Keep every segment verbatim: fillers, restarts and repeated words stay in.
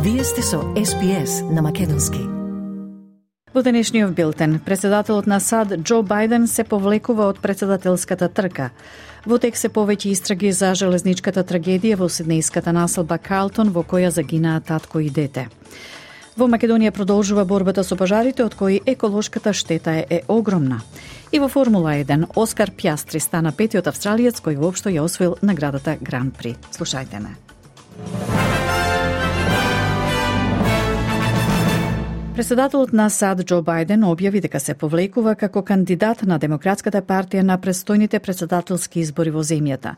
Вие сте со Ес Би Ес на македонски. Во денешниот билтен, председателот на САД Џо Бајден се повлекува од председателската трка. Во тек се повеќе истраги за железничката трагедија во сиднејската населба Карлтон, во која загинаа татко и дете. Во Македонија продолжува борбата со пожарите, од кои еколошката штета е, е огромна. И во Формула еден, Оскар Пјастри стана петиот австралиец кој воопшто ја освоил наградата Гран При. Слушајте ме. Председателот на САД Џо Бајден објави дека се повлекува како кандидат на Демократската партија на престојните председателски избори во земјата.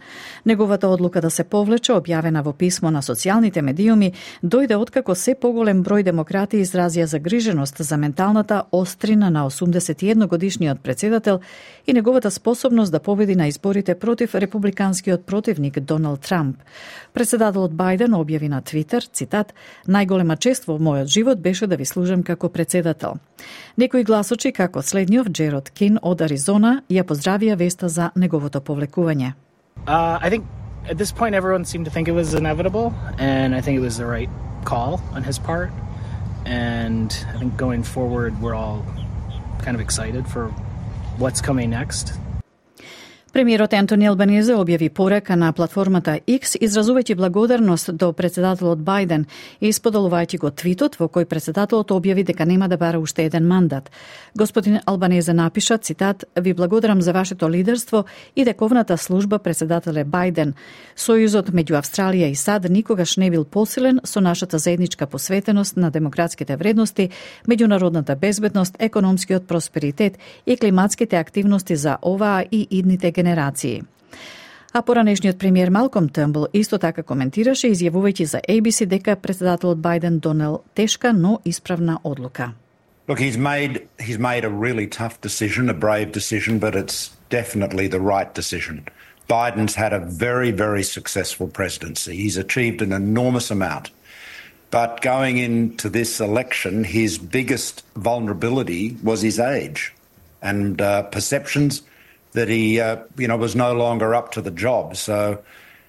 Неговата одлука да се повлече, објавена во писмо на социјалните медиуми, дојде откако се поголем број демократи изразија загриженост за менталната острина на осумдесет и едногодишниот председател и неговата способност да победи на изборите против републиканскиот противник Доналд Трамп. Председателот Бајден објави на Твитер, цитат: "Најголема чест во мојот живот беше да ви служам како председател." Некои гласочи, како следниот Джерод Кин од Аризона, ја поздравија веста за неговото повлекување. Uh, I think at this point everyone seemed to think it was inevitable, and I think it was the right call on his part. And I think going forward we're all kind of excited for what's coming next. Премиерот Ентони Албанезе објави порака на платформата X, изразувајќи благодарност до председателот Бајден и исподолувајќи го твитот во кој председателот објави дека нема да бара уште еден мандат. Господин Албанезе напиша, цитат: "Ви благодарам за вашето лидерство и дековната служба, председателе Бајден. Сојузот меѓу Австралија и САД никогаш не бил посилен со нашата заедничка посветеност на демократските вредности, меѓународната безбедност, економскиот просперитет и климатските активности за оваа и идните генерации." А поранешниот премиер Малком Търнбул исто така коментираше, изјавувајќи за Ей Би Си дека председателот Бајден донел тешка, но исправна одлука. Look, he's made he's made a really tough decision, a brave decision, but it's definitely the right decision. Biden's had a very, very successful presidency. He's achieved an enormous amount. But going into this election, his biggest vulnerability was his age and uh, perceptions that he, uh, you know, was no longer up to the job. So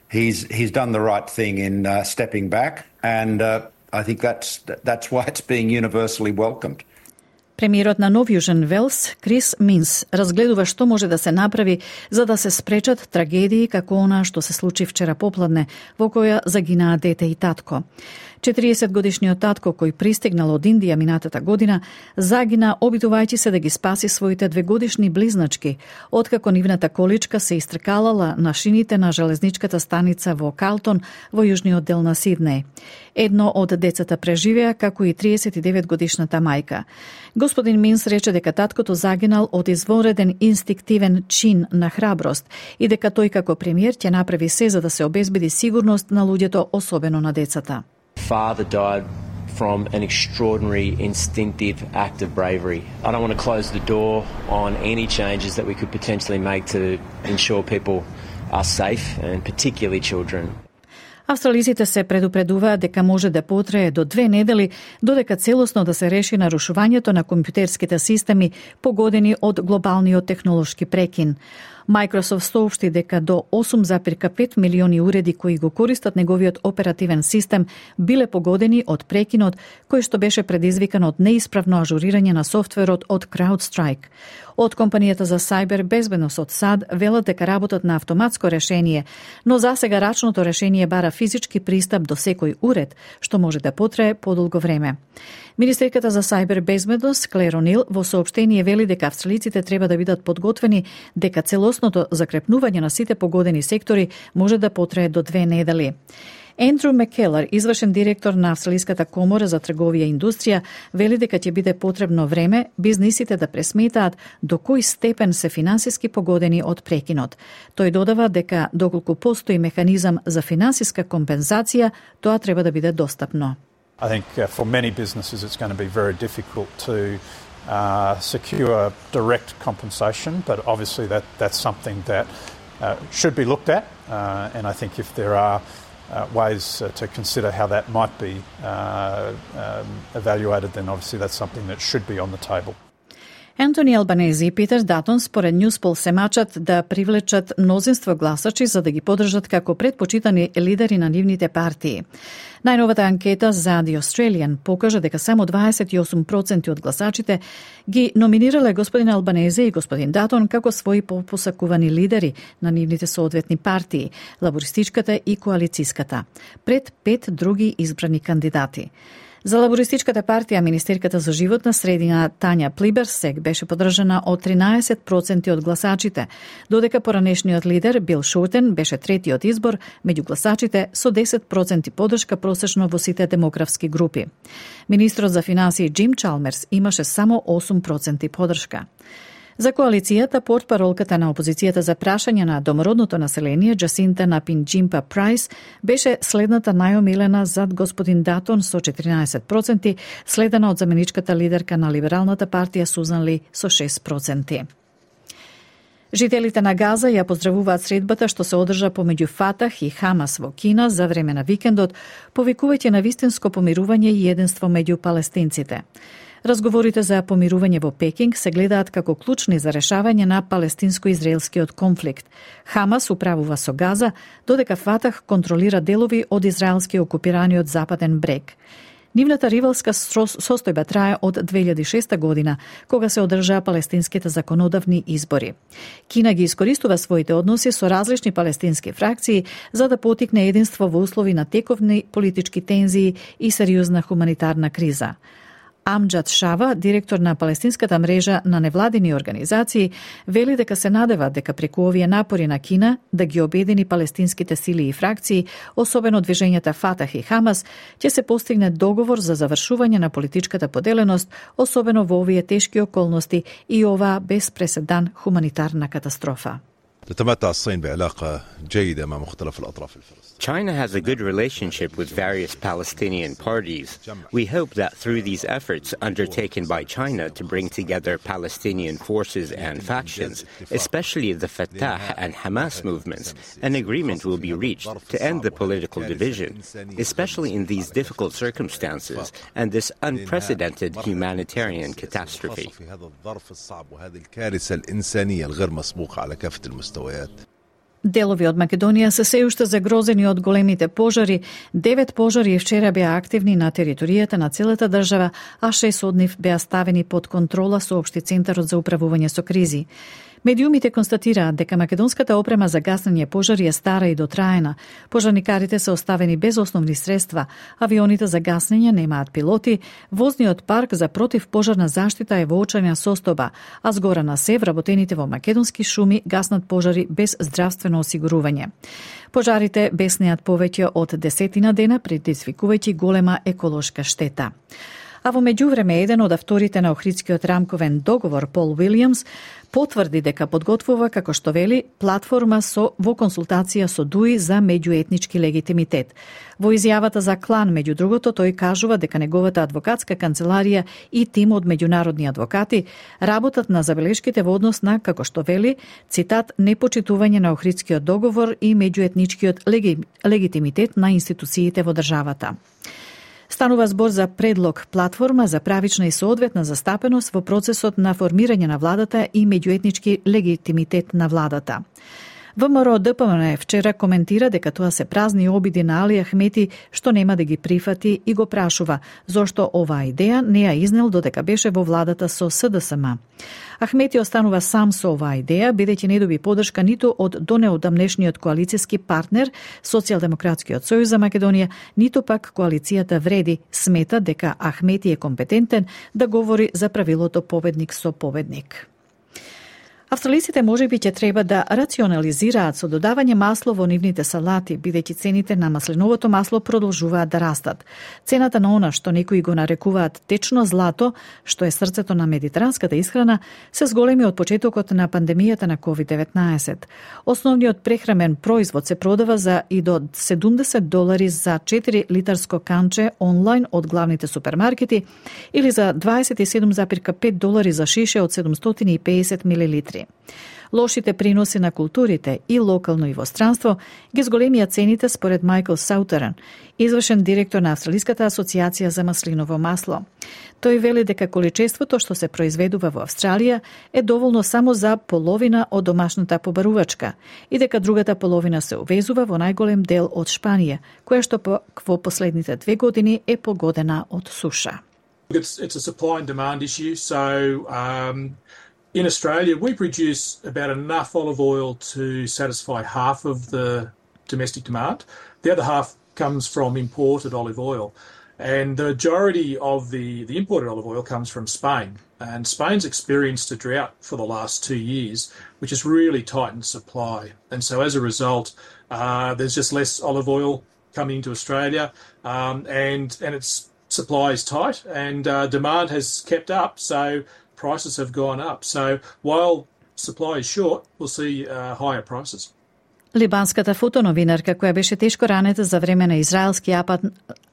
he's he's done the right thing in uh, stepping back, and uh, I think that's that's why it's being universally welcomed. Премиерот на Нов Јужен Велс, Крис Минс, разгледува што може да се направи за да се спречат трагедии како она што се случи вчера попладне, во која загинаа дете и татко. четириесет годишниот татко, кој пристигнал од Индија минатата година, загина обидувајќи се да ги спаси своите двегодишни близначки, откако нивната количка се истркалала на шините на железничката станица во Карлтон, во јужниот дел на Сиднеј. Едно од децата преживеа, како и триесет и девет годишната мајка. Господин Минс рече дека таткото загинал од извонреден инстинктивен чин на храброст и дека тој како премиер ќе направи се за да се обезбеди сигурност на луѓето, особено на децата. Father died from an extraordinary instinctive act of bravery. I don't want to close the door on any changes that we could potentially make to ensure people are safe, and particularly children. Австралиците се предупредуваат дека може да потрае до две недели додека целосно да се реши нарушувањето на компјутерските системи погодени од глобалниот технолошки прекин. Microsoft соопшти дека до осум зарез пет милиони уреди кои го користат неговиот оперативен систем биле погодени од прекинот кој што беше предизвикан од неисправно ажурирање на софтверот од CrowdStrike. Од компанијата за сајбер безбедност од САД велат дека работат на автоматско решение, но засега рачното решение бара физички пристап до секој уред, што може да потрае подолго време. Министерката за сајбер безбедност Клер О'Нил во соопштение вели дека австралиците треба да бидат подготвени дека целосното закрепнување на сите погодени сектори може да потрае до две недели. Ендрю Маккелар, извршен директор на Австралиската комора за трговија и индустрија, вели дека ќе биде потребно време бизнисите да пресметаат до кој степен се финансиски погодени од прекинот. Тој додава дека доколку постои механизам за финансиска компензација, тоа треба да биде достапно. I think uh, for many businesses it's going to be very difficult to uh, secure direct compensation, but obviously that, that's something that uh, should be looked at, uh, and I think if there are uh, ways uh, to consider how that might be uh, um, evaluated, then obviously that's something that should be on the table. Ентони Албанези и Питер Датон според Ньюспол се мачат да привлечат мнозинство гласачи за да ги подржат како предпочитани лидери на нивните партии. Најновата анкета за The Australian покажа дека само дваесет и осум проценти од гласачите ги номинирале господин Албанези и господин Датон како своји посакувани лидери на нивните соодветни партии, лабористичката и коалицијската, пред пет други избрани кандидати. За лабористичката партија Министерката за животна средина Тања Плиберсек беше подржана од тринаесет проценти од гласачите, додека поранешниот лидер Бил Шортен беше третиот избор меѓу гласачите со десет проценти подршка просечно во сите демографски групи. Министрот за финансии Джим Чалмерс имаше само осум проценти подршка. За коалицијата, портпаролката на опозицијата за прашање на домородното население, Джасинта Напинџимпа Прайс, беше следната најомилена зад господин Датон со четиринаесет проценти, следена од заменичката лидерка на либералната партија Сузан Ли со шест проценти. Жителите на Газа ја поздравуваат средбата што се одржа помеѓу Фатах и Хамас во Кина за време на викендот, повикувајќи на вистинско помирување и единство меѓу палестинците. Разговорите за помирување во Пекинг се гледаат како клучни за решавање на палестинско-израелскиот конфликт. Хамас управува со Газа, додека Фатах контролира делови од израелски окупираниот западен брег. Нивната ривалска состојба трае од две илјади и шеста година, кога се одржаа палестинските законодавни избори. Кина ги искористува своите односи со различни палестински фракции за да потикне единство во услови на тековни политички тензии и сериозна хуманитарна криза. Амџад Шава, директор на палестинската мрежа на невладини организации, вели дека се надева дека преку овие напори на Кина да ги обедини палестинските сили и фракции, особено движењата Фатах и Хамас, ќе се постигне договор за завршување на политичката поделеност, особено во овие тешки околности и оваа без преседан хуманитарна катастрофа. تتمتع الصين بعلاقة جيدة مع مختلف الأطراف الفلسطينية. China has a good relationship with various Palestinian parties. We hope that through these efforts undertaken by China to bring together Palestinian forces and factions, especially the Fatah and Hamas movements, an agreement will be reached to end the political division, especially in these difficult circumstances and this unprecedented humanitarian catastrophe. Делови од Македонија се се уште загрозени од големите пожари. Девет пожари вчера беа активни на територијата на целата држава, а шест од нив беа ставени под контрола, соопшти Центарот за управување со кризи. Медиумите констатираат дека македонската опрема за гаснење пожари е стара и дотраена. Пожарникарите се оставени без основни средства, авионите за гаснење немаат пилоти, возниот парк за противпожарна заштита е во очајна состојба, а згора на се вработените во македонски шуми гаснат пожари без здравствено осигурување. Пожарите беснеат повеќе од десетина дена, предизвикувајќи голема еколошка штета. А во меѓувреме, еден од авторите на Охридскиот рамковен договор, Пол Уилјамс, потврди дека подготвува, како што вели, платформа со во консултација со ДУИ за меѓуетнички легитимитет. Во изјавата за Клан, меѓу другото, тој кажува дека неговата адвокатска канцеларија и тим од меѓународни адвокати работат на забелешките во однос на, како што вели, цитат, непочитување на Охридскиот договор и меѓуетничкиот леги, легитимитет на институциите во државата. Станува збор за предлог платформа за правична и соодветна застапеност во процесот на формирање на владата и меѓуетнички легитимитет на владата. ВМРО Д П М Н вчера коментира дека тоа се празни обиди на Али Ахмети што нема да ги прифати и го прашува зошто оваа идеја не ја изнел додека беше во владата со С Д С М. Ахмети останува сам со оваа идеја, бидејќи не доби поддршка ниту од донеодамнешниот коалицијски партнер Социјалдемократскиот сојуз за Македонија, ниту пак коалицијата Вреди смета дека Ахмети е компетентен да говори за правилото победник со победник. Австралиците можеби ќе треба да рационализираат со додавање масло во нивните салати, бидејќи цените на маслиновото масло продолжуваат да растат. Цената на она што некои го нарекуваат течно злато, што е срцето на медитеранската исхрана, се зголеми од почетокот на пандемијата на ковид деветнаесет. Основниот прехрамен производ се продава за и до седумдесет долари за четири литарско канче онлайн од главните супермаркети или за дваесет и седум зарез и пет долари за шише од седумстотини и педесет милилитри. индустрија. Лошите приноси на културите и локално и во странство ги зголемија цените според Майкл Саутерен, извршен директор на Австралиската асоциација за маслиново масло. Тој вели дека количеството што се произведува во Австралија е доволно само за половина од домашната побарувачка и дека другата половина се увезува во најголем дел од Шпанија, која што во последните две години е погодена од суша. It's, it's a supply and demand issue, so um... in Australia, we produce about enough olive oil to satisfy half of the domestic demand. The other half comes from imported olive oil. And the majority of the, the imported olive oil comes from Spain. And Spain's experienced a drought for the last two years, which has really tightened supply. And so as a result, uh, there's just less olive oil coming into Australia, um, and, and its supply is tight, and uh, demand has kept up. So prices have gone up. So while supply is short, we'll see uh, higher prices. Либанската фотоновинарка, која беше тешко ранета за време на израелски апад,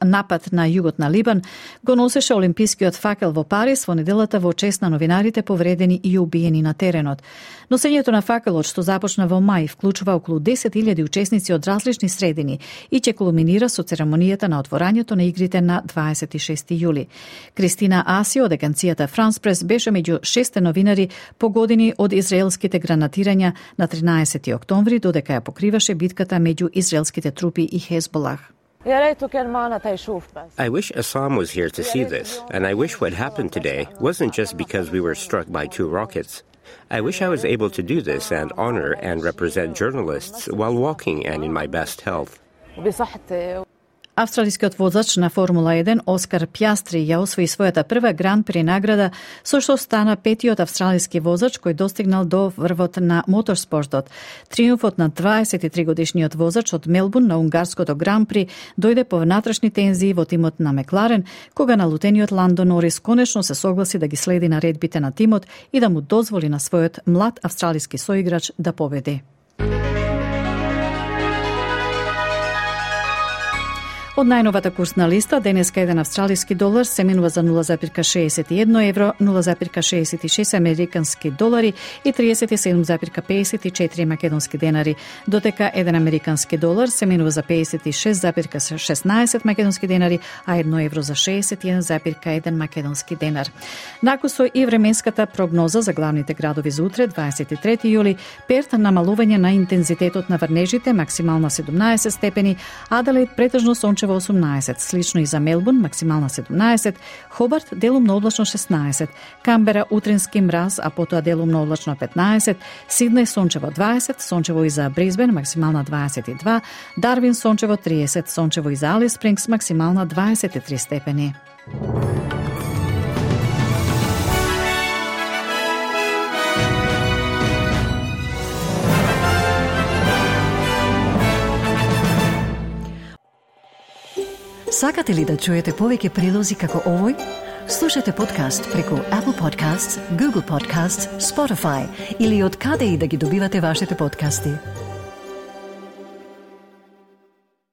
напад на југот на Либан, го носеше олимпискиот факел во Париз во неделата во чест на новинарите повредени и убиени на теренот. Носењето на факелот, што започна во мај, вклучува околу десет илјади учесници од различни средини и ќе кулминира со церемонијата на отворањето на игрите на дваесет и шести јули. Кристина Аси од агенцијата France Press беше меѓу шесте новинари погодени од израелските гранатирања на тринаесети октомври, додека ја покриваше битката меѓу израелските трупи и Хезболах. I wish Assam was here to see this, and I wish what happened today wasn't just because we were struck by two rockets. I wish I was able to do this and honor and represent journalists while walking and in my best health. Австралискиот возач на Формула еден Оскар Пјастри ја освои својата прва гран-при награда, со што стана петиот австралиски возач кој достигнал до врвот на моторспортот. Триумфот на дваесет и три годишниот возач од Мелбурн на унгарското гран-при дојде по внатрешни тензии во тимот на Мекларен, кога налутениот Ландо Норис конечно се согласи да ги следи наредбите на тимот и да му дозволи на својот млад австралиски соиграч да победи. Од најновата курсна листа, денеска еден австралиски долар се менува за нула зарез шеесет и едно евро, нула зарез шеесет и шест американски долари и триесет и седум зарез пеесет и четири македонски денари, додека еден американски долар се менува за пеесет и шест зарез шеснаесет македонски денари, а едно евро за шеесет и еден зарез еден македонски денар. Накусо и временската прогноза за главните градови за утре, дваесет и трети јули, Перт намалување на интензитетот на врнежите, максимална седумнаесет степени, Аделаид претежно сончево осумнаесет, слично и за Мелбурн, максимална седумнаесет, Хобарт делумно облачно шеснаесет, Камбера утрински мраз, а потоа делумно облачно петнаесет, Сиднеј сончево дваесет, сончево и за Брисбен, максимална дваесет и два, Дарвин сончево триесет, сончево и за Алис Спрингс, максимална дваесет и три степени. Сакате ли да чуете повеќе прилози како овој? Слушате подкаст преку Apple Podcasts, Google Podcasts, Spotify или од каде и да ги добивате вашите подкасти.